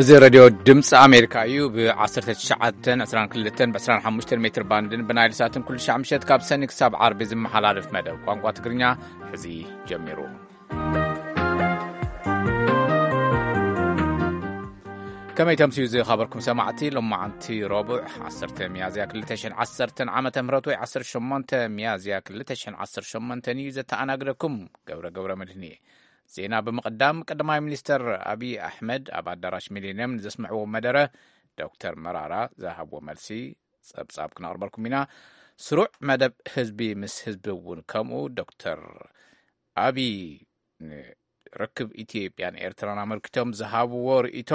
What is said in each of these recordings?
እዚ ሬድዮ ድምፂ ኣሜሪካ እዩ። ብ ትሽዓተ ዕስራን ክልተን ብ ዕስራን ሓሙሽተን ሜትር ባንድን ብናይል ሳትን ኩሉ ሻዕ ምሸት ካብ ሰኒ ክሳብ ዓርቢ ዝመሓላለፍ መደብ ቋንቋ ትግርኛ ሕዚ ጀሚሩ። ከመይ ተምስዩ ዝኸበርኩም ሰማዕቲ፣ ሎማዓንቲ ረቡዕ ዓሰርተ ሚያዝያ ክልተ ሽሕን ዓሰርተን ዓመተ ምህረት ወይ ዓሰርተ ሸሞንተ ሚያዝያ ክልተ ሽሕን ዓሰርተ ሸሞንተን እዩ። ዘተኣናግደኩም ገብረ ገብረ መድህን እየ። ዜና ብምቕዳም፣ ቀዳማይ ሚኒስተር ኣብይ ኣሕመድ ኣብ ኣዳራሽ ሚሊንየም ንዘስምዕዎ መደረ፣ ዶክተር መራራ ዝሃብዎ መልሲ ጸብጻብ ክነቕርበልኩም ኢና። ስሩዕ መደብ ህዝቢ ምስ ህዝቢ እውን ከምኡ። ዶክተር ኣብይ ንርክብ ኢትዮጵያን ኤርትራን ኣመልኪቶም ዝሃብዎ ርእይቶ፣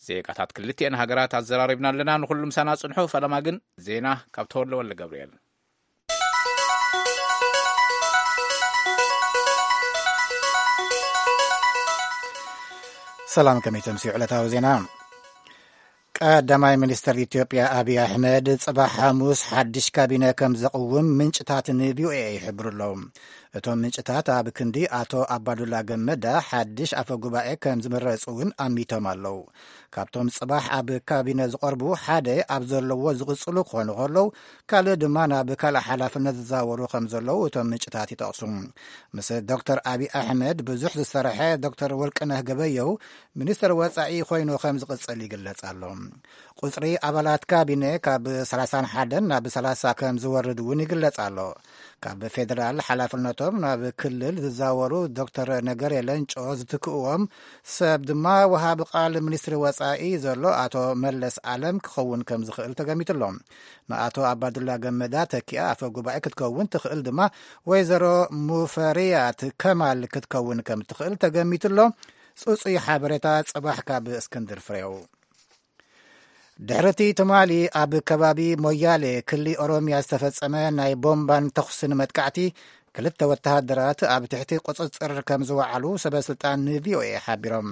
ዜጋታት ክልቲኤን ሃገራት ኣዘራሪብና ኣለና። ንኹሉ ምሳና ጽንሑ። ፈለማ ግን ዜና ካብ ተወልደ ወልደ ገብርኤል። ሰላም፣ ከመይ ተምስዩ ዕለታዊ ዜና? ቀዳማይ ሚኒስተር ኢትዮጵያ ኣብይ ኣሕመድ ጽባሕ ሓሙስ ሓድሽ ካቢነ ከም ዘቕውም ምንጭታት ን ቪ ኦ ኤ ይሕብሩ ኣለዉ። እቶም ምንጭታት ኣብ ክንዲ ኣቶ ኣባዱላ ገመዳ ሓድሽ ኣፈ ጉባኤ ከም ዝምረጹ እውን ኣሚቶም ኣለዉ። ካብቶም ጽባሕ ኣብ ካቢነ ዝቐርቡ ሓደ ኣብ ዘለዎ ዝቕጽሉ ክኾኑ ከለዉ፣ ካልእ ድማ ናብ ካልእ ሓላፍነት ዝዛወሩ ከም ዘለዉ እቶም ምንጭታት ይጠቕሱ። ምስ ዶክተር ኣብይ ኣሕመድ ብዙሕ ዝሰርሐ ዶክተር ወርቅነህ ገበየው ሚኒስተር ወጻኢ ኮይኑ ከም ዝቕጽል ይግለጽ ኣሎ። ቁጽሪ ኣባላት ካቢነ ካብ ሰላሳን ሓደን ናብ ሰላሳ ከም ዝወርድ እውን ይግለጽ ኣሎ። ካብ ፌደራል ሓላፍነቶም ናብ ክልል ዝዛወሩ ዶክተር ነገሬ ለንጮ ዝትክእዎም ሰብ ድማ ወሃቢ ቃል ሚኒስትሪ ወጻኢ ዘሎ ኣቶ መለስ ኣለም ክኸውን ከም ዝኽእል ተገሚቱ ኣሎ። ንኣቶ ኣባዱላ ገመዳ ተኪኣ ኣፈ ጉባኤ ክትከውን ትኽእል ድማ ወይዘሮ ሙፈሪያት ከማል ክትከውን ከም ትኽእል ተገሚቱ ኣሎ። ጽጹይ ሓበሬታ ጽባሕ ካብ እስክንድር ፍሬው። ድሕሪ እቲ ትማሊ ኣብ ከባቢ ሞያሌ ክሊ ኦሮምያ ዝተፈጸመ ናይ ቦምባን ተኹስን መጥቃዕቲ፣ ክልተ ወተሃደራት ኣብ ትሕቲ ቁጽጽር ከም ዝወዓሉ ሰበ ስልጣን ን ቪ ኦ ኤ ሓቢሮም።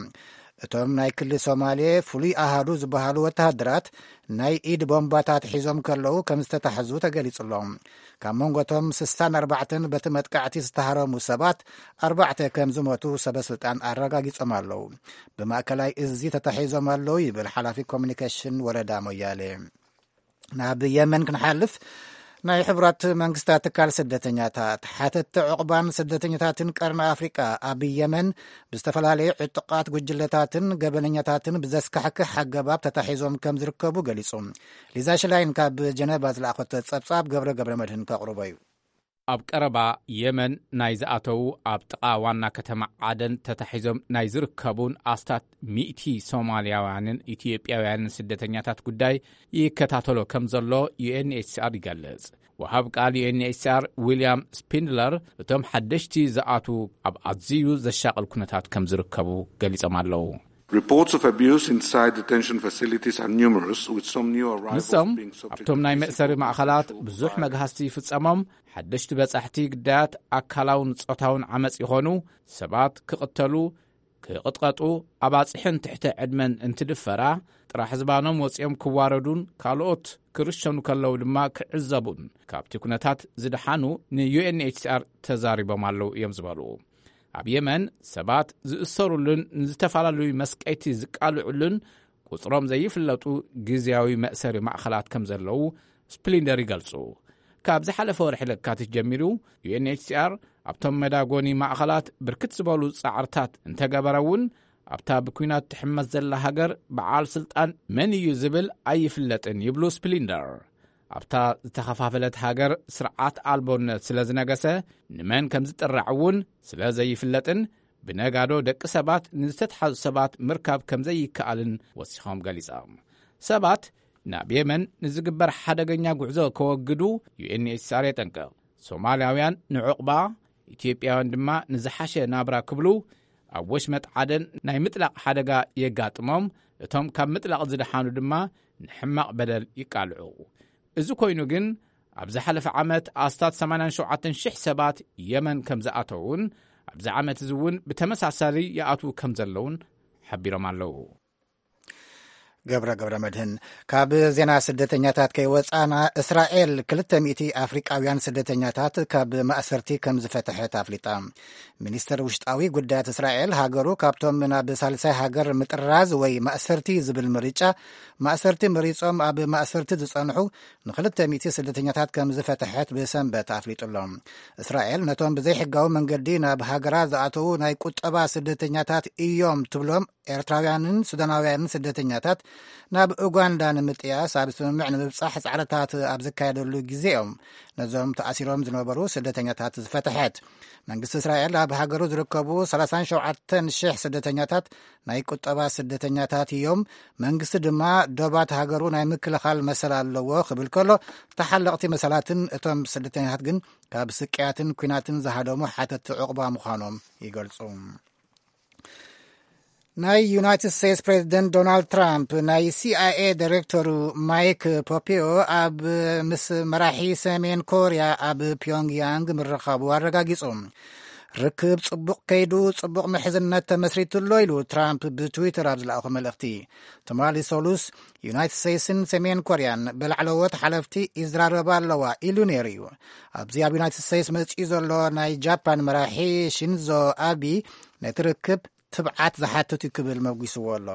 እቶም ናይ ክሊ ሶማሌ ፍሉይ ኣሃዱ ዝበሃሉ ወተሃደራት ናይ ኢድ ቦምባታት ሒዞም ከለዉ ከም ዝተታሕዙ ተገሊጹ ኣሎ። ካብ መንጎ እቶም ስሳን ኣርባዕተን በቲ መጥቃዕቲ ዝተሃረሙ ሰባት ኣርባዕተ ከም ዝሞቱ ሰበ ስልጣን ኣረጋጊጾም ኣለዉ። ብማእከላይ እዚ ተታሒዞም ኣለዉ ይብል ሓላፊ ኮሚኒኬሽን ወረዳ ሞያሌ። ናብ የመን ክንሓልፍ፣ ናይ ሕቡራት መንግስታት ትካል ስደተኛታት፣ ሓተትቲ ዕቑባን ስደተኛታትን ቀርኒ ኣፍሪቃ ኣብ የመን ብዝተፈላለዩ ዕጡቓት ጉጅለታትን ገበነኛታትን ብዘስካሕክሕ ኣገባብ ተታሒዞም ከም ዝርከቡ ገሊጹ። ሊዛ ሽላይን ካብ ጀነቫ ዝለኣኸቶ ጸብጻብ ገብረ ገብረ መድህን ከቕርቦ እዩ። ኣብ ቀረባ የመን ናይ ዝኣተዉ፣ ኣብ ጥቓ ዋና ከተማ ዓደን ተታሒዞም ናይ ዝርከቡን ኣስታት ሚእቲ ሶማልያውያንን ኢትዮጵያውያንን ስደተኛታት ጉዳይ ይከታተሎ ከም ዘሎ ዩ ኤን ኤች ሲ ኣር ይገልጽ። ወሃብ ቃል ዩ ኤን ኤች ሲ ኣር ዊልያም ስፒንድለር፣ እቶም ሓደሽቲ ዝኣትዉ ኣብ ኣዝዩ ዘሻቕል ኩነታት ከም ዝርከቡ ገሊጾም ኣለዉ። Reports of abuse inside detention facilities are numerous, with some new arrivals ንሶም being subject ኣብቶም ናይ to መእሰሪ physical ማእኸላት coercion ብዙሕ violence። መግሃስቲ ይፍጸሞም፣ ሓደሽቲ በጻሕቲ ግዳያት ኣካላውን ጾታውን ዓመጽ ይኾኑ፣ ሰባት ክቕተሉ፣ ክቕጥቀጡ፣ ኣባጽሕን ትሕተ ዕድመን እንትድፈራ፣ ጥራሕ ዝባኖም ወጺኦም ክዋረዱን ካልኦት ክርሸኑ ከለዉ ድማ ክዕዘቡን ካብቲ ኩነታት ዝደሓኑ ን ዩ ኤን ኤች ሲ ኣር ተዛሪቦም ኣለዉ እዮም ዝበሉ። ኣብ የመን ሰባት ዝእሰሩሉን ንዝተፈላለዩ መስቀይቲ ዝቃልዑሉን ቁጽሮም ዘይፍለጡ ግዝያዊ መእሰሪ ማእኸላት ከም ዘለዉ ስፕሊንደር ይገልጹ። ካብ ዝሓለፈ ወርሒ ለካቲት ጀሚሩ፣ ዩ ኤን ኤች ሲ ኣር ኣብቶም መዳጎኒ ማእኸላት ብርክት ዝበሉ ጻዕርታት እንተገበረ እውን፣ ኣብታ ብኲናት ትሕመስ ዘላ ሃገር በዓል ስልጣን መን እዩ ዝብል ኣይፍለጥን ይብሉ ስፕሊንደር። ኣብታ ዝተኸፋፈለት ሃገር ስርዓት ኣልቦነት ስለ ዝነገሰ፣ ንመን ከም ዝጥራዕ እውን ስለ ዘይፍለጥን፣ ብነጋዶ ደቂ ሰባት ንዝተትሓዙ ሰባት ምርካብ ከም ዘይከኣልን ወሲኾም ገሊጾም። ሰባት ናብ የመን ንዝግበር ሓደገኛ ጉዕዞ ከወግዱ ዩ ኤን ኤች ሲ ኣር የጠንቅቕ። ሶማልያውያን ንዕቑባ፣ ኢትዮጵያውያን ድማ ንዝሓሸ ናብራ ክብሉ ኣብ ወሽመጥ ዓደን ናይ ምጥላቕ ሓደጋ የጋጥሞም፣ እቶም ካብ ምጥላቕ ዝደሓኑ ድማ ንሕማቕ በደል ይቃልዑ። እዚ ኮይኑ ግን፣ ኣብ ዝሓለፈ ዓመት ኣስታት ሰማንያን ሸውዓተን ሽሕ ሰባት የመን ከም ዝኣተዉን ኣብዚ ዓመት እዚ እውን ብተመሳሳሊ ይኣትዉ ከም ዘለዉን ሓቢሮም ኣለዉ። ገብረ ገብረ መድህን። ካብ ዜና ስደተኛታት ከይወፃና፣ እስራኤል ክልተ ሚእቲ ኣፍሪቃውያን ስደተኛታት ካብ ማእሰርቲ ከም ዝፈተሐት ኣፍሊጣ። ሚኒስተር ውሽጣዊ ጉዳያት እስራኤል፣ ሃገሩ ካብቶም ናብ ሳልሳይ ሃገር ምጥራዝ ወይ ማእሰርቲ ዝብል ምርጫ፣ ማእሰርቲ መሪጾም ኣብ ማእሰርቲ ዝጸንሑ ንክልተ ሚእቲ ስደተኛታት ከም ዝፈተሐት ብሰንበት ኣፍሊጡ ኣሎ። እስራኤል ነቶም ብዘይሕጋዊ መንገዲ ናብ ሃገራ ዝኣተዉ ናይ ቁጠባ ስደተኛታት እዮም ትብሎም ኤርትራውያንን ሱዳናውያንን ስደተኛታት ናብ ኡጋንዳ ንምጥያስ ኣብ ስምምዕ ንምብጻሕ ጻዕርታት ኣብ ዝካየደሉ ግዜ እዮም ነዞም ተኣሲሮም ዝነበሩ ስደተኛታት ዝፈትሐት። መንግስቲ እስራኤል ኣብ ሃገሩ ዝርከቡ ሰላሳን ሸውዓተን ሽሕ ስደተኛታት ናይ ቁጠባ ስደተኛታት እዮም። መንግስቲ ድማ ዶባት ሃገሩ ናይ ምክልኻል መሰል ኣለዎ ክብል ከሎ፣ ተሓለቕቲ መሰላትን እቶም ስደተኛታት ግን ካብ ስቅያትን ኲናትን ዝሃደሙ ሓተቲ ዕቑባ ምዃኖም ይገልጹ። ናይ ዩናይትድ ስቴትስ ፕሬዚደንት ዶናልድ ትራምፕ ናይ ሲኣይኤ ዳይሬክተሩ ማይክ ፖምፔዮ ኣብ ምስ መራሒ ሰሜን ኮርያ ኣብ ፒዮንግያንግ ምርኻቡ ኣረጋጊጹ። ርክብ ጽቡቕ ከይዱ፣ ጽቡቕ ምሕዝነት ተመስሪቱ ኣሎ ኢሉ ትራምፕ ብትዊተር ኣብ ዝለኣኾ መልእኽቲ። ትማሊ ሰሉስ ዩናይትድ ስቴትስን ሰሜን ኮርያን ብላዕለዎት ሓለፍቲ ይዝራረባ ኣለዋ ኢሉ ነይሩ እዩ። ኣብዚ ኣብ ዩናይትድ ስቴትስ መጺኡ ዘሎ ናይ ጃፓን መራሒ ሺንዞ ኣቢ ነቲ ርክብ ትብዓት ዝሓትት እዩ ክብል መጒስዎ ኣሎ።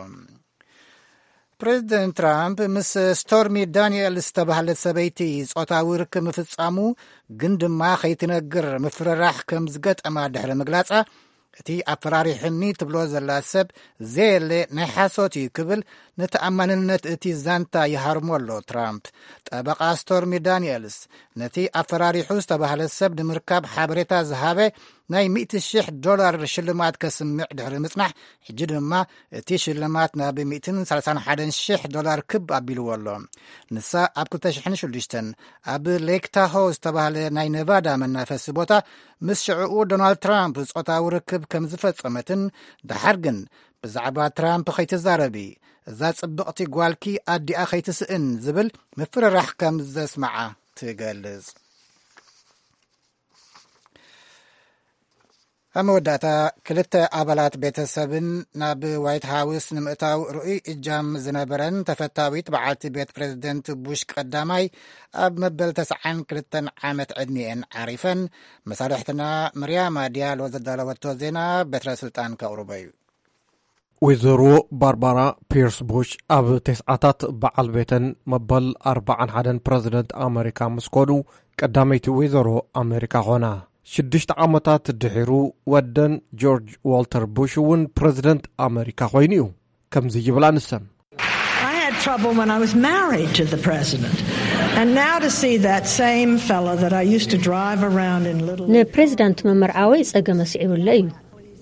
ፕሬዚደንት ትራምፕ ምስ ስቶርሚ ዳንኤል ዝተባህለት ሰበይቲ ጾታዊ ርክብ ምፍጻሙ ግን ድማ ከይትነግር ምፍርራሕ ከም ዝገጠማ ድሕሪ ምግላጻ፣ እቲ ኣፈራሪሑኒ ትብሎ ዘላ ሰብ ዘየለ ናይ ሓሶት እዩ ክብል ንተኣማንነት እቲ ዛንታ ይሃርሞ ኣሎ ትራምፕ። ጠበቓ ስቶርሚ ዳንኤልስ ነቲ ኣፈራሪሑ ዝተባህለ ሰብ ንምርካብ ሓበሬታ ዝሃበ ናይ ሚእቲ ሽሕ ዶላር ሽልማት ከስምዕ ድሕሪ ምጽናሕ፣ ሕጂ ድማ እቲ ሽልማት ናብ ሚእትን ሰላሳን ሓደን ሽሕ ዶላር ክብ ኣቢልዎ ኣሎ። ንሳ ኣብ ክልተ ሽሕን ሽዱሽተን ኣብ ሌክ ታሆ ዝተባህለ ናይ ነቫዳ መናፈሲ ቦታ ምስ ሽዕኡ ዶናልድ ትራምፕ ጾታዊ ርክብ ከም ዝፈጸመትን፣ ደሓር ግን ብዛዕባ ትራምፕ ከይትዛረቢ፣ እዛ ጽብቕቲ ጓልኪ ኣዲኣ ከይትስእን ዝብል ምፍርራሕ ከም ዘስምዓ ትገልጽ። ኣብ መወዳእታ፣ ክልተ ኣባላት ቤተሰብን ናብ ዋይት ሃውስ ንምእታው ርኡይ እጃም ዝነበረን ተፈታዊት በዓልቲ ቤት ፕሬዝደንት ቡሽ ቀዳማይ ኣብ መበል ተስዓን ክልተን ዓመት ዕድሚኤን ዓሪፈን። መሳርሕትና ምርያማ ዲያሎ ዘዳለወቶ ዜና በትረ ስልጣን ከቕርቦ እዩ። ወይዘሮ ባርባራ ፒርስ ቡሽ ኣብ ተስዓታት በዓል ቤተን መበል ኣርባዓን ሓደን ፕረዚደንት ኣመሪካ ምስ ኮኑ ቀዳመይቲ ወይዘሮ ኣመሪካ ኾና። ሽዱሽተ ዓመታት ድሒሩ ወደን ጆርጅ ዋልተር ቡሽ እውን ፕረዚደንት ኣመሪካ ኮይኑ እዩ። ከምዚ ይብላ ንሰን። I had trouble when I was married to the president. And now to see that same fellow that I used to drive around in little ንፕሬዚዳንት ምምርዓወይ ጸገም ኣስዒቡለይ እዩ።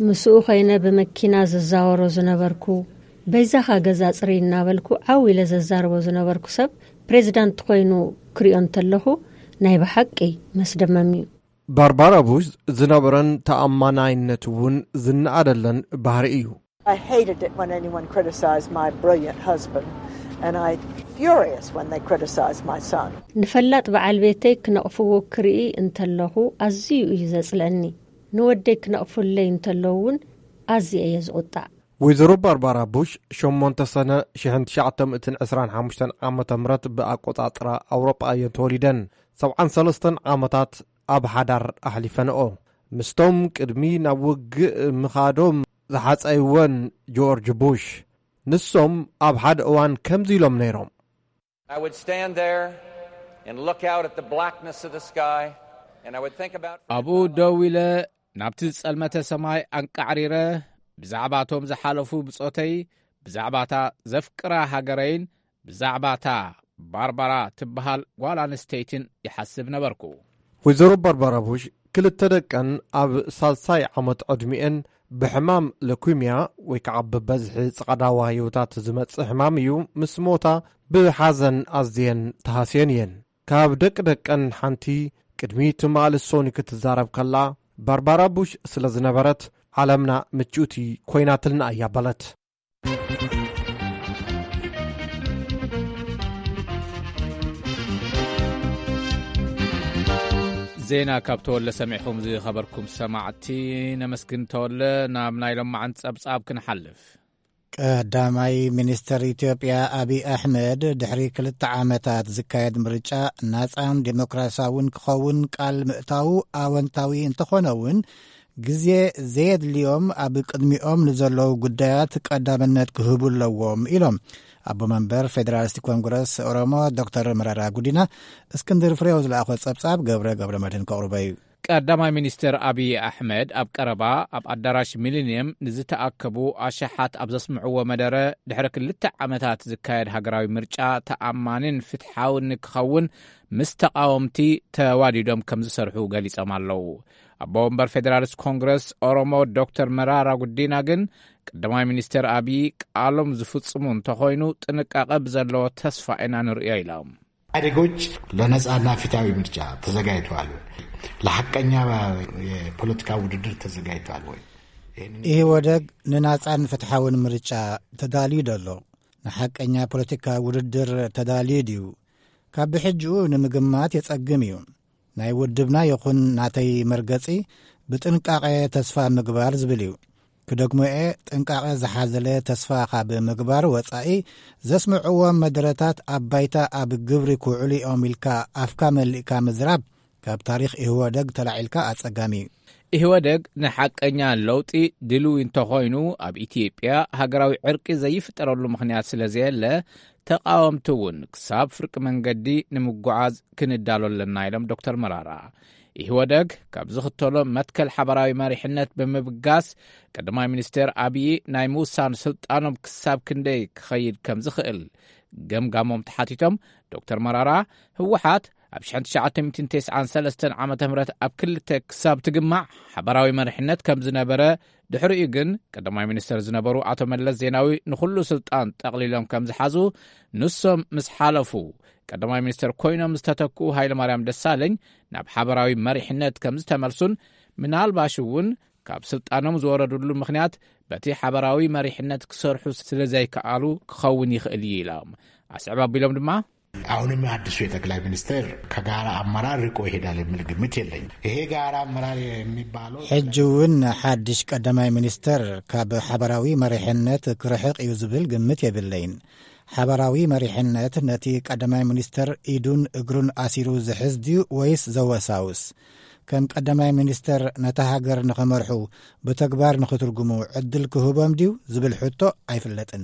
ምስኡ ኮይነ ብመኪና ዝዛወሮ ዝነበርኩ፣ በይዛኻ ገዛ ጽርይ እናበልኩ ዓው ኢለ ዘዛርቦ ዝነበርኩ ሰብ ፕሬዚዳንት ኮይኑ ክሪኦ እንተለኹ ናይ ብሓቂ መስደመም እዩ። ባርባራ ቡሽ ዝነበረን ተኣማናይነት እውን ዝነኣደለን ባህሪ እዩ። I hated it when anyone criticized my brilliant husband, and I furious when they criticized my son. ንፈላጥ በዓል ቤተይ ክነቕፍዎ ክርኢ እንተለኹ ኣዝዩ እዩ ዘጽልአኒ። ንወደይ ክነቕፉለይ እንተለዉ እውን ኣዝየ እየ ዝቑጣዕ። ወይዘሮ ባርባራ ቡሽ ሸሞንተ ሰነ ሽሕን ትሽዓተ ሚእትን ዕስራን ሓሙሽተን ዓመተ ምህረት ብኣቆጻጽራ ኣውሮጳ እየን ተወሊደን። ሰብዓን ሰለስተን ዓመታት ኣብ ሓዳር ኣሕሊፈንኦ። ምስቶም ቅድሚ ናብ ውግእ ምኻዶም ዝሓጸይወን ጆርጅ ቡሽ፣ ንሶም ኣብ ሓደ እዋን ከምዚ ኢሎም ነይሮም። I would stand there and look out at the blackness of the sky, and I would think about ኣብኡ ደው ኢለ ናብቲ ዝጸልመተ ሰማይ ኣንቃዕሪረ፣ ብዛዕባቶም ዝሓለፉ ብጾተይ፣ ብዛዕባታ ዘፍቅራ ሃገረይን ብዛዕባታ ባርባራ ትበሃል ጓል ኣንስተይትን ይሓስብ ነበርኩ። ወይዘሮ ባርባራ ቡሽ ክልተ ደቀን ኣብ ሳልሳይ ዓመት ዕድሚኤን ብሕማም ለኩምያ ወይ ከዓ ብበዝሒ ጸቐዳዋ ህይወታት ዝመጽእ ሕማም እዩ ምስ ሞታ ብሓዘን ኣዝየን ተሃስየን እየን። ካብ ደቂ ደቀን ሓንቲ ቅድሚ ትማሊ ሶኒ ክትዛረብ ከላ ባርባራ ቡሽ ስለ ዝነበረት ዓለምና ምችውቲ ኮይናትልና እያ በለት። ዜና ካብ ተወለ ሰሚዕኹም ዝኸበርኩም ሰማዕቲ ነመስግን። ተወለ፣ ናብ ናይ ሎማዓንቲ ጸብጻብ ክንሓልፍ። ቀዳማይ ሚኒስተር ኢትዮጵያ ኣብይ ኣሕመድ ድሕሪ ክልተ ዓመታት ዝካየድ ምርጫ ናጻን ዴሞክራሲያውን ክኸውን ቃል ምእታዉ ኣወንታዊ እንተኾነ እውን፣ ግዜ ዘየድልዮም ኣብ ቅድሚኦም ንዘለዉ ጉዳያት ቀዳምነት ክህቡ ኣለዎም ኢሎም ኣቦ መንበር ፌደራሊስት ኮንግረስ ኦሮሞ ዶክተር መረራ ጉዲና። እስክንድር ፍሬው ዝለኣኾ ጸብጻብ ገብረ ገብረ መድህን ከቕርቦ እዩ። ቀዳማይ ሚኒስትር ኣብይ ኣሕመድ ኣብ ቀረባ ኣብ ኣዳራሽ ሚሊኒየም ንዝተኣከቡ ኣሽሓት ኣብ ዘስምዕዎ መደረ፣ ድሕሪ ክልተ ዓመታት ዝካየድ ሃገራዊ ምርጫ ተኣማኒን ፍትሓውን ንክኸውን ምስ ተቓወምቲ ተዋዲዶም ከም ዝሰርሑ ገሊጾም ኣለዉ። ኣቦ ወንበር ፌደራሊስት ኮንግረስ ኦሮሞ ዶክተር መራራ ጉዲና ግን፣ ቀዳማይ ሚኒስትር ኣብይ ቃሎም ዝፍጽሙ እንተኾይኑ ጥንቃቐ ብዘለዎ ተስፋ ኢና ንርእዮ ኢሎም። ኢህአዴጎች ለነጻና ፍትሃዊ ምርጫ ተዘጋጅተዋል ወይ? ለሐቀኛ የፖለቲካ ውድድር ተዘጋጅተዋል ወይ? ይህንን ኢህወደግ ንናጻን ፍትሓውን ምርጫ ተዳልዩ ደሎ? ንሓቀኛ ፖለቲካ ውድድር ተዳልዩ ድዩ? ካብ ብሕጅኡ ንምግማት የጸግም እዩ። ናይ ውድብና ይኹን ናተይ መርገጺ ብጥንቃቐ ተስፋ ምግባር ዝብል እዩ። ክደግሞ'የ፣ ጥንቃቐ ዝሓዘለ ተስፋ ካብ ምግባር ወጻኢ ዘስምዕዎም መደረታት ኣብ ባይታ ኣብ ግብሪ ክውዕሉ እዮም ኢልካ ኣፍካ መሊእካ ምዝራብ ካብ ታሪኽ ኢህወደግ ተላዒልካ ኣጸጋሚ እዩ። ኢህወደግ ንሓቀኛ ለውጢ ድልዊ እንተኾይኑ፣ ኣብ ኢትዮጵያ ሃገራዊ ዕርቂ ዘይፍጠረሉ ምኽንያት ስለ ዘየለ፣ ተቓወምቲ እውን ክሳብ ፍርቂ መንገዲ ንምጉዓዝ ክንዳሎ ኣለና ኢሎም ዶክተር መራራ። ኢህወደግ ካብ ዝኽተሎ መትከል ሓበራዊ መሪሕነት ብምብጋስ፣ ቀዳማይ ሚኒስትር ኣብይ ናይ ምውሳን ስልጣኖም ክሳብ ክንደይ ክኸይድ ከም ዝኽእል ገምጋሞም ተሓቲቶም፣ ዶክተር መራራ፣ ህወሓት ኣብ ሽሕን ትሽዓተ ሚእትን ተስዓን ሰለስተን ዓመተ ምህረት ኣብ ክልተ ክሳብ ትግማዕ ሓበራዊ መሪሕነት ከም ዝነበረ፣ ድሕሪኡ ግን ቀዳማይ ሚኒስትር ዝነበሩ ኣቶ መለስ ዜናዊ ንኹሉ ስልጣን ጠቕሊሎም ከም ዝሓዙ፣ ንሶም ምስ ሓለፉ ቀዳማይ ሚኒስትር ኮይኖም ዝተተክኡ ሃይለማርያም ደሳለኝ ናብ ሓበራዊ መሪሕነት ከም ዝተመልሱን፣ ምናልባሽ እውን ካብ ስልጣኖም ዝወረዱሉ ምኽንያት በቲ ሓበራዊ መሪሕነት ክሰርሑ ስለ ዘይከኣሉ ክኸውን ይኽእል እዩ ኢሎም። ኣስዕብ ኣቢሎም ድማ፣ አሁንም አዲሱ የጠቅላይ ሚኒስትር ከጋራ አመራር ርቆ ይሄዳል የሚል ግምት የለኝም። ይሄ ጋራ አመራር የሚባለው ሕጂ እውን ሓድሽ ቀዳማይ ሚኒስተር ካብ ሓበራዊ መሪሕነት ክርሕቕ እዩ ዝብል ግምት የብለይን። ሓበራዊ መሪሕነት ነቲ ቀዳማይ ሚኒስተር ኢዱን እግሩን ኣሲሩ ዝሕዝ ድዩ ወይስ ዘወሳውስ? ከም ቀዳማይ ሚኒስተር ነታ ሃገር ንኸመርሑ ብተግባር ንኽትርጉሙ ዕድል ክህቦም ድዩ ዝብል ሕቶ ኣይፍለጥን።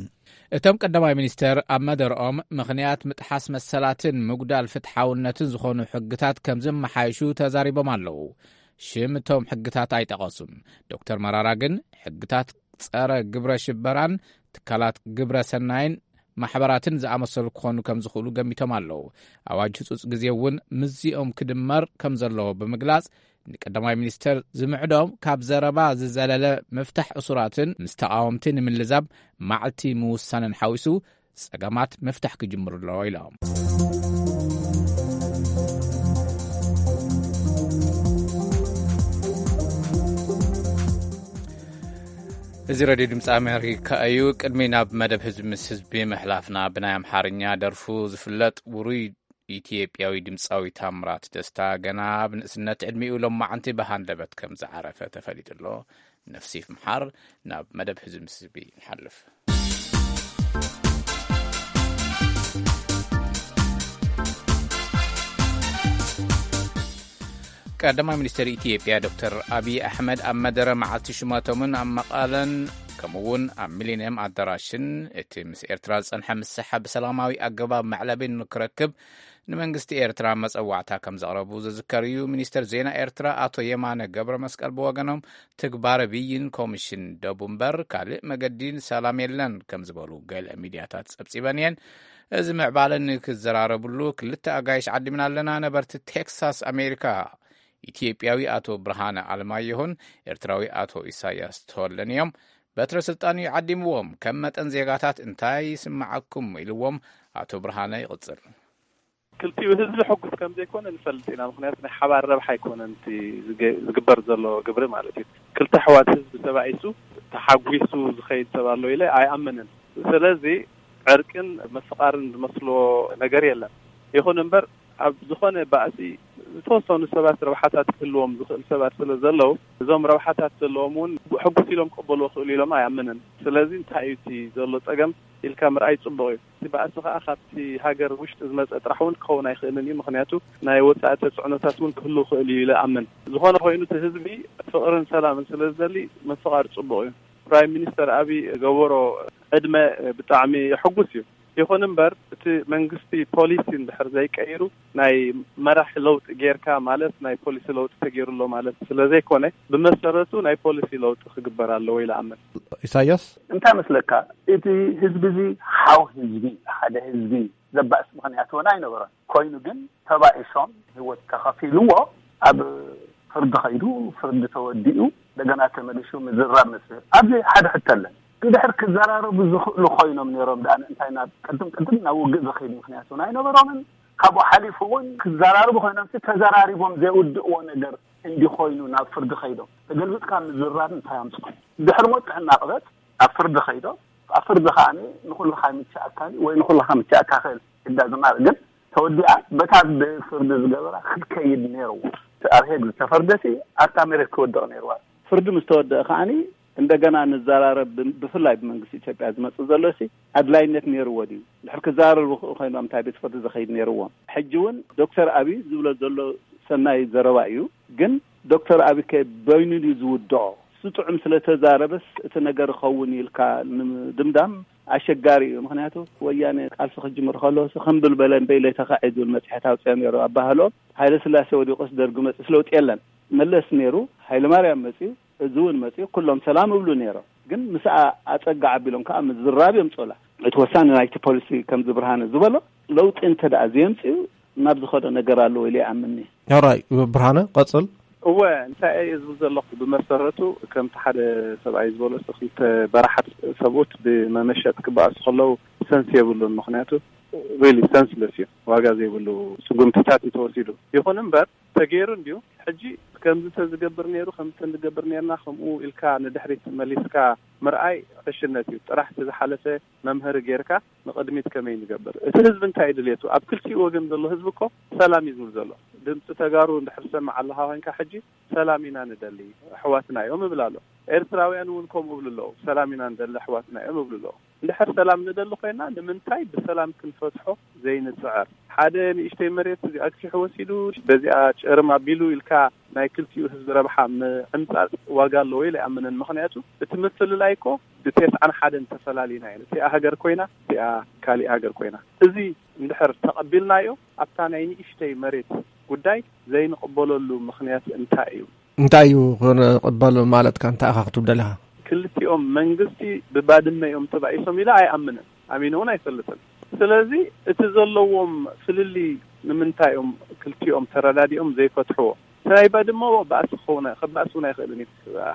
እቶም ቀዳማይ ሚኒስተር ኣብ መደርኦም፣ ምኽንያት ምጥሓስ መሰላትን ምጉዳል ፍትሓውነትን ዝኾኑ ሕግታት ከም ዝመሓየሹ ተዛሪቦም ኣለዉ። ሽም እቶም ሕግታት ኣይጠቐሱን። ዶክተር መራራ ግን፣ ሕግታት ጸረ ግብረ ሽበራን ትካላት ግብረ ሰናይን ማሕበራትን ዝኣመሰሉ ክኾኑ ከም ዝኽእሉ ገሚቶም ኣለዉ። ኣዋጅ ህጹጽ ግዜ እውን ምስዚኦም ክድመር ከም ዘለዎ ብምግላጽ፣ ንቀዳማይ ሚኒስተር ዝምዕዶም ካብ ዘረባ ዝዘለለ ምፍታሕ እሱራትን ምስ ተቓወምቲ ንምልዛብ መዓልቲ ምውሳንን ሓዊሱ ጸገማት ምፍታሕ ክጅምሩ ኣለዎ ኢሎም። እዚ ሬድዮ ድምፂ ኣሜሪካ እዩ። ቅድሚ ናብ መደብ ህዝቢ ምስ ህዝቢ ምሕላፍና፣ ብናይ ኣምሓርኛ ደርፉ ዝፍለጥ ውሩይ ኢትዮጵያዊ ድምፃዊ ታምራት ደስታ፣ ገና ኣብ ንእስነት ዕድሚኡ ሎማዓንቲ ብሃንደበት ከም ዝዓረፈ ተፈሊጡ ኣሎ። ነፍሲ ይምሓር። ናብ መደብ ህዝቢ ምስ ህዝቢ ንሓልፍ። ቀዳማይ ሚኒስትር ኢትዮጵያ ዶክተር ኣብይ ኣሕመድ ኣብ መደረ መዓልቲ ሽመቶምን ኣብ መቐለን ከምኡውን ኣብ ሚሊኒየም ኣዳራሽን እቲ ምስ ኤርትራ ዝጸንሐ ምስሓ ብሰላማዊ ኣገባብ መዕለቢ ንክረክብ ንመንግስቲ ኤርትራ መጸዋዕታ ከም ዘቕረቡ ዝዝከር እዩ። ሚኒስትር ዜና ኤርትራ ኣቶ የማነ ገብረ መስቀል ብወገኖም፣ ትግባረ ብይን ኮሚሽን ደቡብ እምበር ካልእ መገዲ ንሰላም የለን ከም ዝበሉ ገለ ሚድያታት ጸብጺበን እየን። እዚ ምዕባለ ንክዘራረብሉ ክልተ ኣጋይሽ ዓዲምና ኣለና። ነበርቲ ቴክሳስ ኣሜሪካ፣ ኢትዮጵያዊ ኣቶ ብርሃነ ኣለማየሁን ኤርትራዊ ኣቶ ኢሳያስ ተወለን እዮም። በትረ ስልጣን እዩ ዓዲምዎም፣ ከም መጠን ዜጋታት እንታይ ይስምዓኩም ኢልዎም ኣቶ ብርሃነ ይቕጽል። ክልቲኡ ህዝቢ ሕጉስ ከም ዘይኮነ ንፈልጥ ኢና። ምኽንያቱ ናይ ሓባር ረብሓ ኣይኮነን እቲ ዝገ-፣ ዝግበር ዘሎ ግብሪ ማለት እዩ። ክልተ ኣሕዋት ህዝቢ ተባኢሱ ተሓጒሱ ዝኸይድ ሰብ ኣሎ ኢለ ኣይኣምንን። ስለዚ ዕርቅን ምፍቓርን ዝመስሎ ነገር የለን። ይኹን እምበር ኣብ ዝኾነ ባእሲ ዝተወሰኑ ሰባት ረብሓታት ክህልዎም ዝኽእል ሰባት ስለ ዘለዉ፣ እዞም ረብሓታት ዘለዎም እውን ሕጉስ ኢሎም ክቕበልዎ ክእሉ ኢሎም ኣይኣምንን። ስለዚ እንታይ እዩ እቲ ዘሎ ጸገም ኢልካ ምርኣይ ጽቡቕ እዩ። እቲ ባእሲ ከኣ ካብቲ ሃገር ውሽጢ ዝመጸ ጥራሕ እውን ክኸውን ኣይኽእልን እዩ። ምኽንያቱ ናይ ወጻኢ ተጽዕኖታት እውን ክህሉ ክእል እዩ ኢለ ኣምን። ዝኾነ ኮይኑ እቲ ህዝቢ ፍቕርን ሰላምን ስለ ዝደሊ ምፍቓር ጽቡቕ እዩ። ፕራይም ሚኒስተር ኣብይ ገበሮ ዕድመ ብጣዕሚ ሕጉስ እዩ። ይኹን እምበር እቲ መንግስቲ ፖሊሲ እንድሕር ዘይቀይሩ፣ ናይ መራሕ ለውጢ ጌርካ ማለት ናይ ፖሊሲ ለውጢ ተገይሩ ኣሎ ማለት ስለ ዘይኮነ፣ ብመሰረቱ ናይ ፖሊሲ ለውጢ ክግበር ኣለዎ ኢለ ኣምን። ኢሳያስ? እንታይ መስለካ፣ እቲ ህዝቢ እዚ ሓው ህዝቢ፣ ሓደ ህዝቢ ዘባእስ ምኽንያት እውን ኣይነበረን። ኮይኑ ግን ተባኢሶም ህይወት ተኸፊልዎ ኣብ ፍርዲ ኸይዱ፣ ፍርዲ ተወዲኡ፣ እንደገና ተመሊሱ ምዝራብ መስል ኣብዚ ሓደ ሕቶ ኣለን። እንድሕር ክዘራረቡ ዝኽእሉ ኮይኖም ነይሮም ደኣ እንታይ ናብ ቅድም ቅድም ናብ ውግእ ዝኸይድ ምኽንያት እውን ኣይነበሮምን። ካብኡ ሓሊፉ እውን ክዘራረቡ ኮይኖም ሲ ተዘራሪቦም ዘይውድእዎ ነገር እንዲኾይኑ ናብ ፍርዲ ኸይዶም ተገልብጥካ ምዝራብ እንታይ ኣምፅኦ? ድሕሪ ሞት ጥዕና ቅበጥ ኣብ ፍርዲ ኸይዶም ኣብ ፍርዲ ከኣ ንኹልኻ ምቻኣካኒ ወይ ንኹልኻ ምቻኣካ ክእል እዳ ዝማር ግን ተወዲኣ በታ ብፍርዲ ዝገበራ ክትከይድ ነይርዎ። ኣብ ሄግ ዝተፈርደሲ ኣብታ መሬት ክወድቕ ነይርዋ። ፍርዲ ምስ ተወደአ ከዓኒ እንደገና ንዘራረብ ብ- ብፍላይ ብመንግስቲ ኢትዮጵያ ዝመጽእ ዘሎ ሲ ኣድላይነት ነይርዎ ድዩ? ድሕር ክዘራረቡ ክእ ኮይኖም እንታይ ቤት ፍርዲ ዝኸይድ ነይርዎም? ሕጂ እውን ዶክተር ኣብይ ዝብሎ ዘሎ ሰናይ ዘረባ እዩ። ግን ዶክተር ኣብይ ከ በይኑ ድዩ ዝውድኦ? እሱ ጥዑም ስለተዛረበስ እቲ ነገር ይኸውን ኢልካ ንምድምዳም ኣሸጋሪ እዩ። ምክንያቱ ወያነ ቃልሲ ክጅምር ከሎ ሲ ከም ብልበለ እምበይ ለይተካዒ ዝብል መፅሔት ኣውፅኦም ነይሩ። ኣባህሎም ሃይለ ስላሴ ወዲቁስ ደርጊ መፅስ ለውጢ የለን። መለስ ነይሩ፣ ሃይለ ማርያም መፅዩ፣ እዚ እውን መፅዩ፣ ኩሎም ሰላም እብሉ ነይሮም። ግን ምስኣ ኣፀጋ ዓቢሎም ከዓ ምዝራብ እዮም ፀላ። እቲ ወሳኒ ናይቲ ፖሊሲ ከምዚ ብርሃነ ዝበሎ ለውጢ እንተ ደኣ ዘየምፅኡ ናብ ዝኸዶ ነገር ኣለዎ ኢለ ይኣምንኒ። ሕራይ ብርሃነ ቀጽል። እወ እንታይ እየ ዝብል ዘለኹ፣ ብመሰረቱ ከምቲ ሓደ ሰብኣይ ዝበሎ ሲ ክልተ በራሓት ሰብኡት ብመመሸጥ ክበኣሱ ከለዉ ሰንስ የብሉን። ምክንያቱ ሪሊ ሰንስለስ እዩ፣ ዋጋ ዘይብሉ ስጉምትታት እዩ ተወሲዱ። ይኹን እምበር ተገይሩ እንድዩ። ሕጂ ከምዚ ተዝገብር ነይሩ፣ ከምዚ ተንዝገብር ነርና፣ ከምኡ ኢልካ ንድሕሪት መሊስካ ምርኣይ ዕሽነት እዩ። ጥራሕ እቲ ዝሓለፈ መምሀሪ ጌርካ ንቕድሚት ከመይ ንገብር? እቲ ህዝቢ እንታይ ድልየቱ? ኣብ ክልቲኡ ወገን ዘሎ ህዝቢ እኮ ሰላም እዩ ዝብል ዘሎ። ድምፂ ተጋሩ እንድሕር ሰምዕ ኣለኻ ኮይንካ ሕጂ ሰላም ኢና ንደሊ፣ ኣሕዋትና እዮም እብል ኣሎ። ኤርትራውያን እውን ከምኡ እብሉ ኣለዉ፣ ሰላም ኢና ንደሊ፣ ኣሕዋትና እዮም እብሉ ኣለዉ። እንድሕር ሰላም ንደሊ ኮይና ንምንታይ ብሰላም ክንፈትሖ ዘይንፅዕር? ሓደ ንእሽተይ መሬት እዚኣ ኣግፊሑ ወሲዱ በዚኣ ጨርም ኣቢሉ ኢልካ ናይ ክልቲኡ ህዝቢ ረብሓ ምዕምፃፅ ዋጋ ኣለዎ ኢለ ኣይኣምንን። ምክንያቱ እቲ ምፍልላይ እኮ ብተስዓን ሓደን ተፈላሊና ኢና። እቲኣ ሃገር ኮይና እቲኣ ካሊእ ሃገር ኮይና። እዚ እንድሕር ተቐቢልናዮ ኣብታ ናይ ንእሽተይ መሬት ጉዳይ ዘይንቕበለሉ ምክንያት እንታይ እዩ? እንታይ እዩ ክንቕበል ማለትካ? እንታይ ኢኻ ክትብል ደሊኻ? ክልቲኦም መንግስቲ ብባድመ እዮም ተባኢሶም ኢለ ኣይኣምንን፣ ኣሚነ እውን ኣይፈልጥን። ስለዚ እቲ ዘለዎም ፍልልይ ንምንታይ እዮም ክልቲኦም ተረዳዲኦም ዘይፈትሕዎ? እቲ ናይ ባድመ ባእሲ ክኸውን ኣይ- ክባእስ እውን ኣይኽእልን እዩ።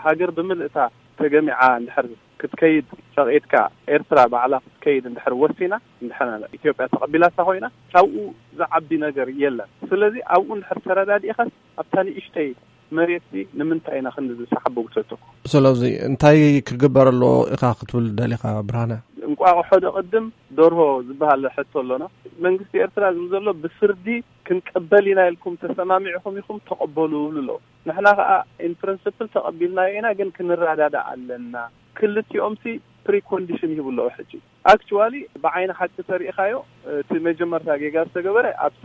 ሃገር ብምልእታ ተገሚዓ እንድሕር ክትከይድ ፈቒድካ፣ ኤርትራ ባዕላ ክትከይድ እንድሕር ወሲና፣ እንድሕር ኢትዮጵያ ተቐቢላታ ኮይና፣ ካብኡ ዝዓቢ ነገር የለን። ስለዚ ኣብኡ እንድሕር ተረዳዲእኻስ ኣብታ ንእሽተይ መሬት ሲ ንምንታይ ኢና ክንዲ ዝሰሓቦ ጉተቶ? ስለዚ እንታይ ክግበር ኣለዎ ኢኻ ክትብል ደሊኻ ብርሃነ? እንቋቑሖ ዶ ቅድም ደርሆ ዝበሃል ሕቶ ኣሎና። መንግስቲ ኤርትራ ዝብል ዘሎ ብፍርዲ ክንቅበል ኢና ኢልኩም ተሰማሚዕኹም ኢኹም ተቐበሉ ይብሉ ኣለዉ። ንሕና ከኣ ኢን ፕሪንስፕል ተቐቢልናዮ ኢና፣ ግን ክንረዳዳእ ኣለና። ክልቲኦም ሲ ፕሪኮንዲሽን ይህቡ ኣለዉ። ሕጂ ኣክቹዋሊ ብዓይኒ ሓቂ ተሪኢኻዮ እቲ መጀመርታ ጌጋ ዝተገበረ ኣብቲ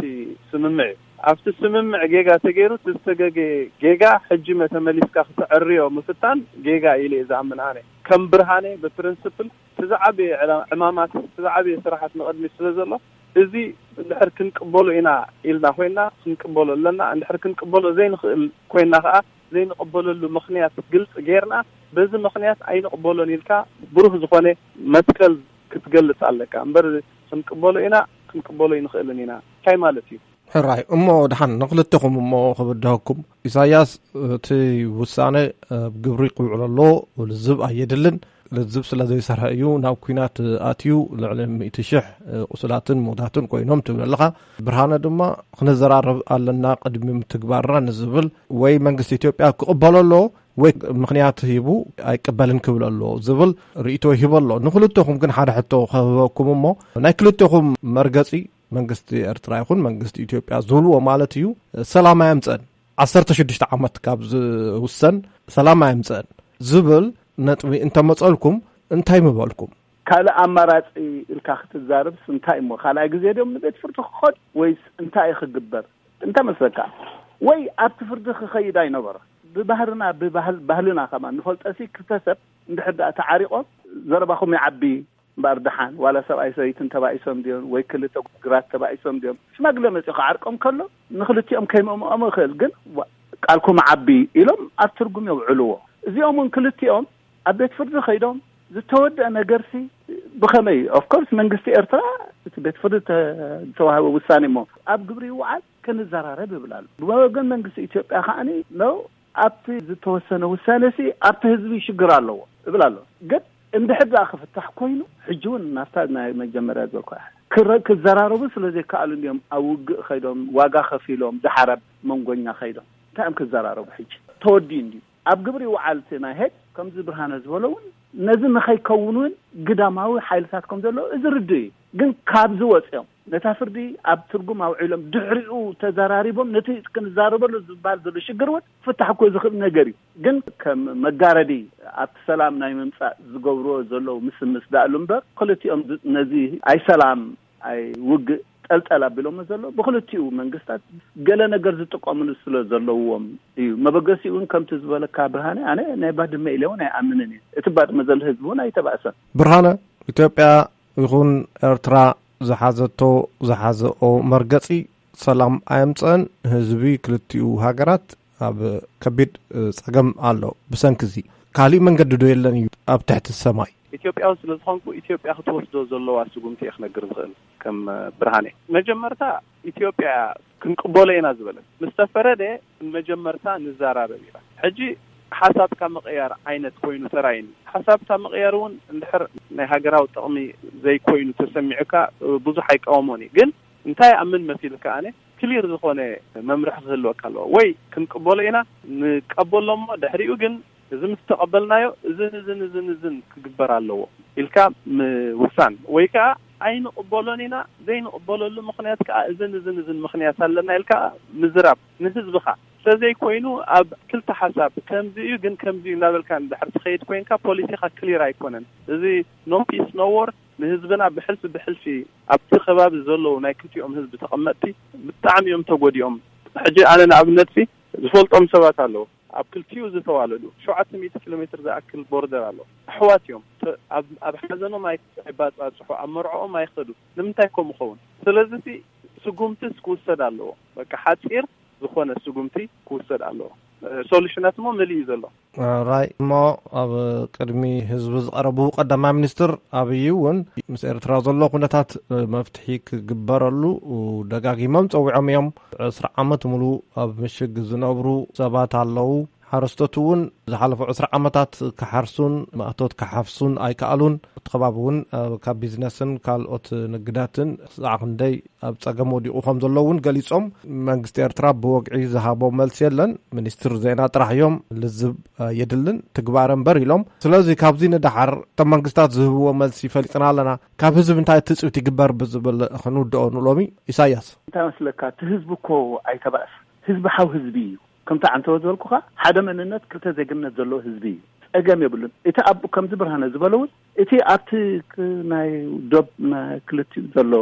ስምምዕ እዩ። ኣብቲ ስምምዕ ጌጋ ተገይሩ እቲ ዝተገገ ጌጋ ሕጂ መተመሊስካ ክተዕርዮ ምፍታን ጌጋ ኢለ እየ ዝኣምን ኣነ። ከም ብርሃነ ብፕሪንስፕል እቲ ዝዓበየ ዕላ- ዕማማት እቲ ዝዓበየ ስራሓት ንቕድሚት ስለ ዘሎ እዚ እንድሕር ክንቅበሎ ኢና ኢልና ኮይና ክንቅበሎ ኣለና። እንድሕር ክንቅበሎ ዘይንኽእል ኮይና ከዓ ዘይንቕበለሉ ምኽንያት ግልፂ ጌርና በዚ ምኽንያት ኣይንቕበሎን ኢልካ ብሩህ ዝኾነ መትከል ክትገልፅ ኣለካ እምበር ክንቅበሎ ኢና ክንቅበሎ ይንኽእልን ኢና እንታይ ማለት እዩ? ሕራይ እሞ ደሓን ንክልተኹም እሞ ክብድሀኩም። ኢሳያስ እቲ ውሳነ ኣብ ግብሪ ክውዕል ኣለዎ። ልዝብ ኣየድልን። ልዝብ ስለ ዘይሰርሐ እዩ ናብ ኲናት ኣትዩ። ልዕሊ ሚእቲ ሽሕ ቁስላትን ምውታትን ኮይኖም ትብል ኣለኻ። ብርሃነ ድማ ክንዘራረብ ኣለና ቅድሚ ምትግባርና ንዝብል ወይ መንግስቲ ኢትዮጵያ ክቕበሎ ኣለዎ ወይ ምኽንያት ሂቡ ኣይቅበልን ክብል ኣለዎ ዝብል ርእይቶ ይህብ ኣሎ። ንክልተኹም ግን ሓደ ሕቶ ክህበኩም እሞ ናይ ክልተኹም መርገጺ መንግስቲ ኤርትራ ይኹን መንግስቲ ኢትዮጵያ ዝብልዎ ማለት እዩ፣ ሰላም ኣየምፀን። ዓሰርተ ሽዱሽተ ዓመት ካብ ዝውሰን ሰላም ኣየምፀን ዝብል ነጥቢ እንተመፀልኩም እንታይ ምበልኩም? ካልእ ኣማራጺ ኢልካ ክትዛረብስ እንታይ እሞ ካልኣይ ግዜ ድዮም ንቤት ፍርዲ ክኸዱ ወይስ እንታይ እዩ ክግበር? እንታይ መስለካ? ወይ ኣብቲ ፍርዲ ክኸይድ ኣይነበሮ። ብባህርና ብባህል ባህልና ከማን ንፈልጦ ሲ ክልተ ሰብ እንድሕር ደኣ ተዓሪቖም ዘረባኹም ይዓቢ እምበኣር ደሓን ዋላ ሰብኣይ ሰበይትን ተባኢሶም ድዮም ወይ ክልተ ግራት ተባኢሶም ድዮም ሽማግለ መጺኡ ክዓርቆም ከሎ ንክልቲኦም ከይመምኦሞ ይኽእል ግን ዋ- ቃልኩም ዓቢ ኢሎም ኣብ ትርጉም የውዕልዎ። እዚኦም እውን ክልቲኦም ኣብ ቤት ፍርዲ ከይዶም ዝተወደአ ነገርሲ ብኸመይ እዩ? Of course መንግስቲ ኤርትራ እቲ ቤት ፍርዲ ዝተዋህበ ውሳኔ እሞ ኣብ ግብሪ ይውዓል ክንዘራረብ ይብል ኣሎ። ብወገን መንግስቲ ኢትዮጵያ ከዓኒ ነው ኣብቲ ዝተወሰነ ውሳኔ ሲ ኣብቲ ህዝቢ ሽግር ኣለዎ እብል ኣሎ። ግን እንድሕር ደኣ ክፍታሕ ኮይኑ ሕጂ እውን ናብታ ናይ መጀመርያ ዝበልኳ ክዘራረቡ ስለ ዘይከኣሉ እንዲዮም ኣብ ውግእ ከይዶም ዋጋ ከፊሎም ደሓር ኣብ መንጎኛ ከይዶም እንታይ እዮም ክዘራረቡ? ሕጂ ተወዲኡ እንዲዩ ኣብ ግብሪ ይውዓል እቲ ናይ ሄግ ከምዚ ብርሃነ ዝበሎ እውን ነዚ ንኸይከውን እውን ግዳማዊ ሓይልታት ከም ዘሎ እዚ ርድእ እዩ። ግን ካብዚ ወፂኦም ነታ ፍርዲ ኣብ ትርጉም ኣውዒሎም ድሕሪኡ ተዘራሪቦም ነቲ ክንዛረበሉ ዝበሃል ዘሎ ሽግር እውን ክፍታሕ እኮ ዝኽእል ነገር እዩ። ግን ከም መጋረዲ ኣብቲ ሰላም ናይ ምምፃእ ዝገብርዎ ዘለዉ ምስምስ ዳእሉ እምበር ክልቲኦም ነዚ ኣይ ሰላም ኣይ ውግእ ጠልጠል ኣቢሎሞ ዘሎ ብክልቲኡ መንግስታት ገለ ነገር ዝጥቀምሉ ስለ ዘለዎም እዩ። መበገሲኡ እውን ከምቲ ዝበለካ ብርሃነ ኣነ ናይ ባድመ ኢለ እውን ኣይኣምንን እየ። እቲ ባድመ ዘሎ ህዝቢ እውን ኣይተባእሰን። ብርሃነ፣ ኢትዮጵያ ይኹን ኤርትራ ዝሓዘቶ ዝሓዘኦ መርገጺ ሰላም ኣየምጸን። ህዝቢ ክልቲኡ ሃገራት ኣብ ከቢድ ጸገም ኣሎ። ብሰንኪ እዚ ካሊእ መንገዲ ዶ የለን እዩ ኣብ ትሕቲ ሰማይ? ኢትዮጵያዊ ስለ ዝኾንኩ ኢትዮጵያ ክትወስዶ ዘለዋ ስጉምቲ እየ ክነግር ዝኽእል። ከም ብርሃነ መጀመርታ ኢትዮጵያ ክንቅበሎ ኢና ዝበለት ምስ ተፈረደ መጀመርታ ንዘራረብ ኢላ። ሕጂ ሓሳብካ ምቕያር ዓይነት ኮይኑ ተራይኒ። ሓሳብካ ምቕያር እውን እንድሕር ናይ ሃገራዊ ጥቕሚ ዘይኮይኑ ተሰሚዑካ ብዙሕ ኣይቃወሞን እዩ። ግን እንታይ ኣምን መሲልካ ኣነ ክሊር ዝኾነ መምርሒ ክህልወካ ኣለዎ። ወይ ክንቅበሎ ኢና ንቀበሎ እሞ ድሕሪኡ ግን እዚ ምስ ተቐበልናዮ እዝን እዝን እዝን እዝን ክግበር ኣለዎ ኢልካ ምውሳን ወይ ከዓ ኣይንቕበሎን ኢና። ዘይንቕበለሉ ምኽንያት ከዓ እዝን እዝን እዝን ምኽንያት ኣለና ኢልካ ምዝራብ ንህዝብኻ ስለዘይኮይኑ ኣብ ክልተ ሓሳብ ከምዚ እዩ ግን ከምዚ እዩ እናበልካ እንድሕር ትኸይድ ኮይንካ ፖሊሲኻ ክሊር ኣይኮነን። እዚ no peace no war ንህዝብና ብሕልፊ ብሕልፊ ኣብቲ ከባቢ ዘለዉ ናይ ክልቲኦም ህዝቢ ተቐመጥቲ ብጣዕሚ እዮም ተጎዲኦም። ሕጂ ኣነ ንኣብነት ሲ ዝፈልጦም ሰባት ኣለዉ ኣብ ክልቲኡ ዝተዋለዱ ሸውዓተ ሚእቲ ኪሎ ሜትር ዝኣክል ቦርደር ኣሎ። ኣሕዋት እዮም። ተ- ኣብ ኣብ ሓዘኖም ኣይ- ኣይባጻጽሑ፣ ኣብ መርዕኦም ኣይኸዱ። ንምንታይ ከምኡ ኸውን? ስለዚ ሲ ስጉምትስ ክውሰድ ኣለዎ። በቃ ሓጺር ዝኾነ ስጉምቲ ክውሰድ ኣለዎ። ሶሉሽናት እሞ መሊኡ ዘሎ። ራይ እሞ ኣብ ቅድሚ ህዝቢ ዝቐረቡ ቀዳማይ ሚኒስትር ኣብይ እውን ምስ ኤርትራ ዘሎ ኩነታት መፍትሒ ክግበረሉ ደጋጊሞም ጸዊዖም እዮም። ዕስራ ዓመት ሙሉ ኣብ ምሽግ ዝነብሩ ሰባት ኣለዉ። ሓረስቶት እውን ዝሓለፉ ዕስራ ዓመታት ክሓርሱን ማእቶት ክሓፍሱን ኣይከኣሉን። እቲ ከባቢ እውን ካብ ቢዝነስን ካልኦት ንግዳትን ክሳዕ ክንደይ ኣብ ጸገም ወዲቑ ከም ዘሎ እውን ገሊጾም። መንግስቲ ኤርትራ ብወግዒ ዝሃቦ መልሲ የለን። ሚኒስትር ዜና ጥራሕ እዮም ልዝብ የድልን ትግባረ እምበር ኢሎም። ስለዚ ካብዚ ንደሓር እቶም መንግስታት ዝህብዎ መልሲ ፈሊጥና ኣለና፣ ካብ ህዝቢ እንታይ ትጽቢት ይግበር ብዝብል ክንውድኦ ንሎሚ። ኢሳያስ። እንታይ መስለካ እቲ ህዝቢ እኮ ኣይተባእስ ህዝቢ ሓው ህዝቢ እዩ። ከምቲ ዓንተወ ዝበልኩኻ ሓደ መንነት ክልተ ዜግነት ዘለዎ ህዝቢ እዩ። ጸገም የብሉን። እቲ ኣብ ከምዚ ብርሃነ ዝበሎ እውን እቲ ኣብቲ ክ- ናይ ዶብ ናይ ክልቲኡ ዘሎ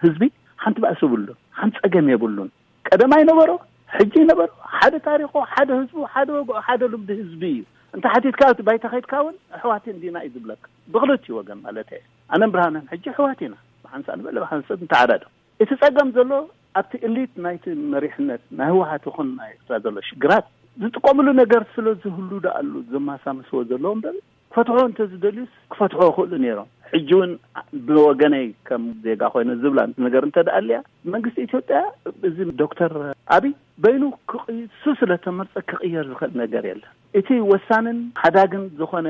ህዝቢ ሓንቲ ባእሲ የብሉን፣ ሓንቲ ጸገም የብሉን። ቀደም ኣይነበሮ፣ ሕጂ ይነበሮ፣ ሓደ ታሪኹ፣ ሓደ ህዝቡ፣ ሓደ ወግዑ፣ ሓደ ልምዲ ህዝቢ እዩ። እንተ ሓቲትካ ኣብቲ ባይታ ከይድካ እውን ኣሕዋት እንዲና እዩ ዝብለካ። ብክልቲኡ ወገን ማለት እየ። ኣነን ብርሃነን ሕጂ ኣሕዋት ኢና። ብሓንሳእ ንበለ ብሓንሳእ ንተዓዳዶ። እቲ ጸገም ዘሎ ኣብቲ እሊት ናይቲ መሪሕነት ናይ ህወሓት ይኹን ናይ ኤርትራ ዘሎ ሽግራት ዝጥቀምሉ ነገር ስለ ዝህሉ ደኣሉ ዘማሳመስዎ ዘለዎም በር ክፈትሖ እንተዝደልዩስ ክፈትሖ ይኽእሉ ነይሮም። ሕጂ እውን ብወገነይ ከም ዜጋ ኮይነ ዝብላ ነገር እንተ ደኣ ኣልያ መንግስቲ ኢትዮጵያ እዚ ዶክተር ኣብይ በይኑ ክቕሱ ስለ ተመርጸ ክቕየር ዝኽእል ነገር የለን። እቲ ወሳንን ሓዳግን ዝኾነ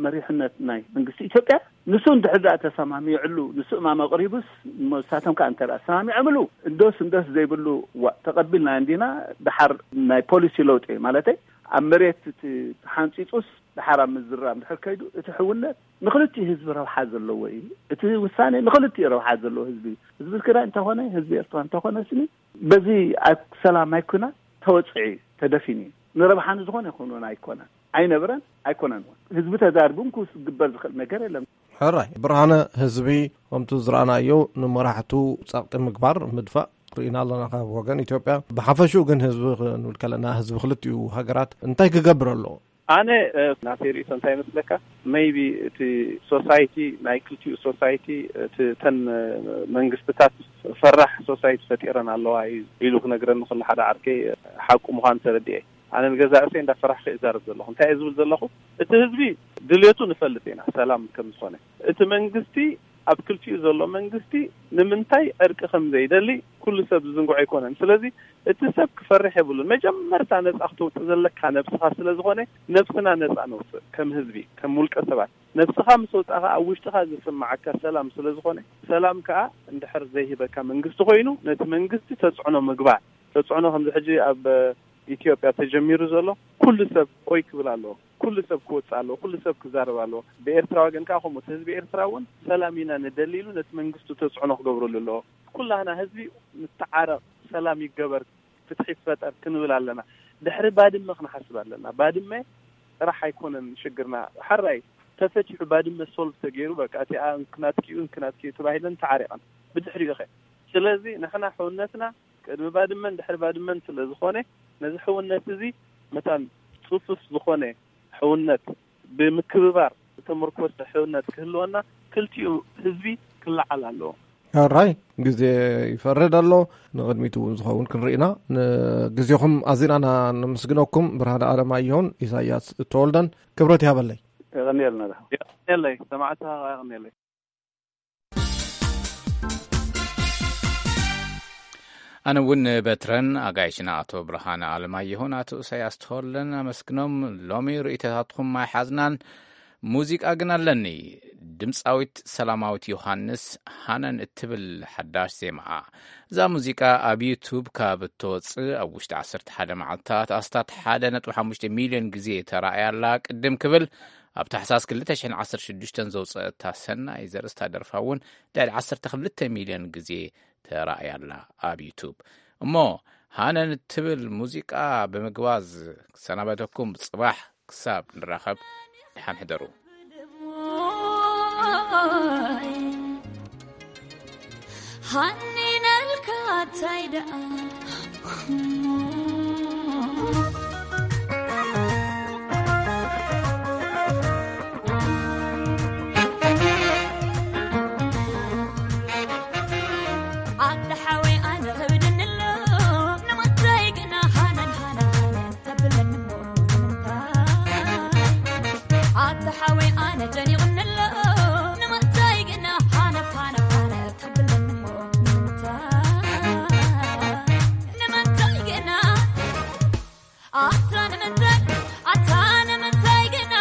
መሪሕነት ናይ መንግስቲ ኢትዮጵያ ንሱ እንድሕር ደኣ ተሰማሚዕሉ ንሱ እማም ኣቕሪቡስ ንሳቶም ከዓ እንተ ተሰማሚዖምሉ እንዶስ እንዶስ ዘይብሉ ዋ ተቐቢልና እንዲና። ደሓር ናይ ፖሊሲ ለውጢ ማለተይ ኣብ መሬት እቲ ተሓንፂፁስ ድሓር ኣብ ምዝራብ ድሕር ከይዱ፣ እቲ ሕውነት ንክልቲኡ ህዝቢ ረብሓ ዘለዎ እዩ። እቲ ውሳኔ ንክልቲኡ ረብሓ ዘለዎ ህዝቢ እዩ። ህዝቢ ትግራይ እንተኾነ፣ ህዝቢ ኤርትራ እንተኾነ ስኒ፣ በዚ ኣብ ሰላም ኣይኩና ተወፅዒ ተደፊኒ ንረብሓ ንዝኾነ ይኹን እውን ኣይኮነን፣ ኣይነብረን ኣይኮነን እውን። ህዝቢ ተዛሪቡ ክግበር ዝኽእል ነገር የለን። ሕራይ ብርሃነ፣ ህዝቢ ከምቱ ዝረኣናዮ ንመራሕቱ ጸቕጢ ምግባር፣ ምድፋእ ርኢና ኣለና ካብ ወገን ኢትዮጵያ። ብሓፈሽኡ ግን ህዝቢ ክንብል ከለና፣ ህዝቢ ክልቲኡ ሃገራት እንታይ ክገብር ኣለዎ? ኣነ ናተይ ርእቶ እንታይ ይመስለካ? መይቢ እቲ ሶሳይቲ፣ ናይ ክልቲኡ ሶሳይቲ፣ እቲ ተን መንግስትታት ፈራሕ ሶሳይቲ ፈጢረን ኣለዋ ኢሉ ክነግረኒ ከሎ ሓደ ዓርከይ፣ ሓቁ ምዃኑ ተረዲኤ። ኣነ ንገዛእ ርእሰይ እንዳፈራሕኩ እዛረብ ዘለኹ። እንታይ እየ ዝብል ዘለኹ? እቲ ህዝቢ ድሌቱ ንፈልጥ ኢና፣ ሰላም ከም ዝኾነ። እቲ መንግስቲ፣ ኣብ ክልቲኡ ዘሎ መንግስቲ ንምንታይ ዕርቂ ከም ዘይደሊ ኩሉ ሰብ ዝዝንግዖ ኣይኮነን። ስለዚ እቲ ሰብ ክፈርሕ የብሉን። መጀመርታ ነጻ ክትወጽእ ዘለካ ነብስኻ ስለ ዝኾነ፣ ነብስና ነጻ ነውጽእ፣ ከም ህዝቢ፣ ከም ውልቀ ሰባት። ነብስኻ ምስ ወጻእኻ ኣብ ውሽጥኻ ዝስምዓካ ሰላም ስለ ዝኾነ፣ ሰላም ከኣ እንድሕር ዘይህበካ መንግስቲ ኮይኑ፣ ነቲ መንግስቲ ተጽዕኖ ምግባር። ተጽዕኖ ከምዚ ሕጂ ኣብ ኢትዮጵያ ተጀሚሩ ዘሎ፣ ኩሉ ሰብ ኦይ ክብል ኣለዎ። ኩሉ ሰብ ክወጽእ ኣለዎ። ኩሉ ሰብ ክዛረብ ኣለዎ። ብኤርትራ ወገን ከኣ ከምኡ፣ እቲ ህዝቢ ኤርትራ እውን ሰላም ኢና ንደሊ ኢሉ ነቲ መንግስቱ ተጽዕኖ ክገብረሉ ኣለዎ። ኩላህና ህዝቢ ንተዓረቕ፣ ሰላም ይገበር፣ ፍትሒ ይፈጠር ክንብል ኣለና። ድሕሪ ባድመ ክንሓስብ ኣለና። ባድመ ጥራሕ ኣይኮነን ሽግርና። ሓራይ ተፈቲሑ፣ ባድመ ሶልቭ ተገይሩ፣ በቃ እቲኣ እንክናትኪ እዩ፣ እንክናትኪ እዩ ተባሂለን ተዓሪቐን። ብድሕሪኡ ኸ? ስለዚ ንሕና ሕውነትና ቅድሚ ባድመን ድሕሪ ባድመን ስለ ዝኾነ፣ ነዚ ሕውነት እዚ መታን ጽፉፍ ዝኾነ ሕውነት፣ ብምክብባር ዝተመርኮሰ ሕውነት ክህልወና ክልቲኡ ህዝቢ ክለዓል ኣለዎ። ሕራይ ግዜ ይፈርድ ኣሎ። ንቕድሚት እውን ዝኸውን ክንርኢና። ንግዜኹም ኣዚና ነመስግነኩም። ብርሃነ ኣለማየሁን ኢሳያስ ተወልደን ክብረት ይሃበለይ። የቐንየልና። የቐንየለይ፣ ሰማዕታ የቐንየለይ። ኣነ እውን በትረን ኣጋይሽና ኣቶ ብርሃነ ኣለማየሁን ኣቶ ኢሳያስ ተወልደን ኣመስግኖም። ሎሚ ርእይቶታትኩም ኣይሓዝናን። ሙዚቃ ግን ኣለኒ። ድምፃዊት ሰላማዊት ዮሃንስ ሃነን እትብል ሓዳሽ ዜማኣ። እዛ ሙዚቃ ኣብ ዩቱብ ካብ እትወፅእ ኣብ ውሽጢ ዓሰርተ ሓደ መዓልታት ኣስታት ሓደ ነጥቢ ሓሙሽተ ሚልዮን ግዜ ተራእያ ኣላ። ቅድም ክብል ኣብ ታሕሳስ ክልተ ሽሕን ዓሰርተ ሽዱሽተን ዘውፀአታ ሰናይ ዘርእስታ ደርፋ እውን ልዕሊ ዓሰርተ ክልተ ሚልዮን ግዜ ተራእያ ኣላ ኣብ ዩቱብ። እሞ ሃነን እትብል ሙዚቃ ብምግባዝ ክሰናበተኩም፣ ጽባሕ ክሳብ ንራኸብ ደሓን ሕደሩ። ሃኒነልካ እንታይ ደኣ ኣደ ሓወይ ኣነ ከብድኒ ኣሎ፣ ንምንታይ ግና ሃነን ሃነን ሃነን ተብለኒ እሞ ንምንታይ? ኣደ ሓወይ ኣነ ጨኒቑኒ ኣሎ፣ ንምንታይ ግና ሃነን ሃነን ሃነን ተብለኒ እሞ ንምንታይ? ንምንታይ ግና ኣታ ንምንታይ፣ ኣታ ንምንታይ ግና?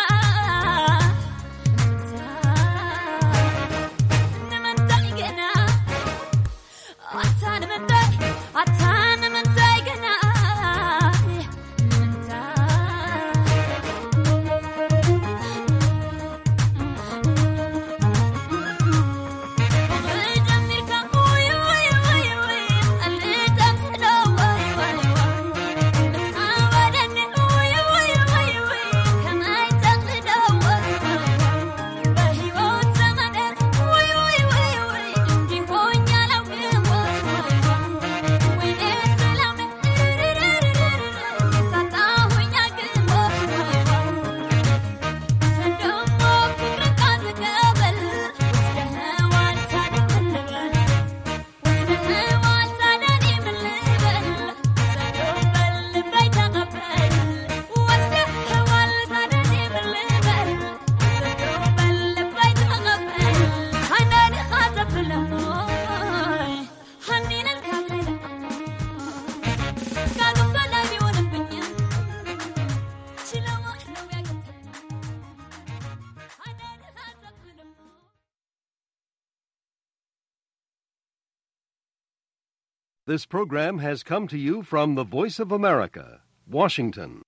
ንምንታይ ግና? ኣታ ንምንታይ፣ ኣታ ንምንታይ ግና? ንምንታይ? This program has come to you from the Voice of America, Washington.